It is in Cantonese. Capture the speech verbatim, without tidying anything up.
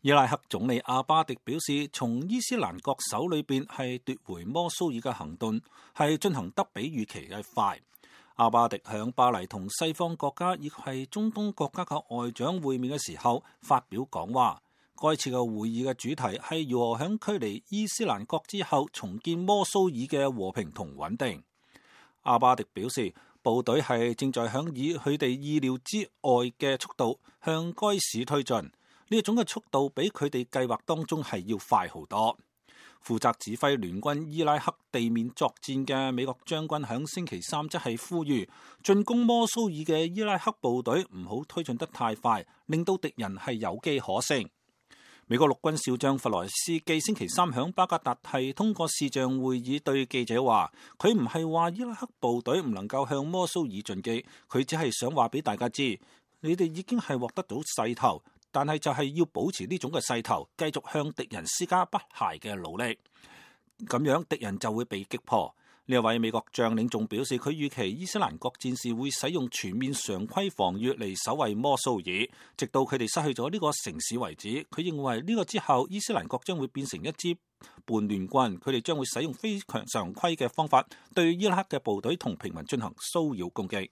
伊拉克總理阿巴迪表示，從伊斯蘭國手裏邊係奪回摩蘇爾嘅行動係進行得比預期嘅快。阿巴迪響巴黎同西方國家亦係中東國家嘅外長會面嘅時候發表講話。該次嘅會議嘅主題係如何響距離伊斯蘭國之後重建摩蘇爾嘅和平同穩定。阿巴迪表示，部隊係正在響以佢哋意料之外嘅速度向該市推進。呢一種嘅速度比佢哋計劃當中係要快好多。負責指揮聯軍伊拉克地面作戰嘅美國將軍響星期三則係呼籲進攻摩蘇爾嘅伊拉克部隊唔好推進得太快，令到敵人係有機可乘。美國陸軍少將弗萊斯基星期三響巴格達係通過視像會議對記者話，佢唔係話伊拉克部隊唔能夠向摩蘇爾進擊，佢只係想話俾大家知，你哋已經係獲得到勢頭。但係就係要保持呢種嘅勢頭，繼續向敵人施加不懈嘅努力，咁樣敵人就會被擊破。呢一位美國將領仲表示，佢預期伊斯蘭國戰士會使用全面常規防禦嚟守衛摩蘇爾，直到佢哋失去咗呢個城市為止。佢認為呢個之後，伊斯蘭國將會變成一支叛亂軍，佢哋將會使用非常常規嘅方法對伊拉克嘅部隊同平民進行騷擾攻擊。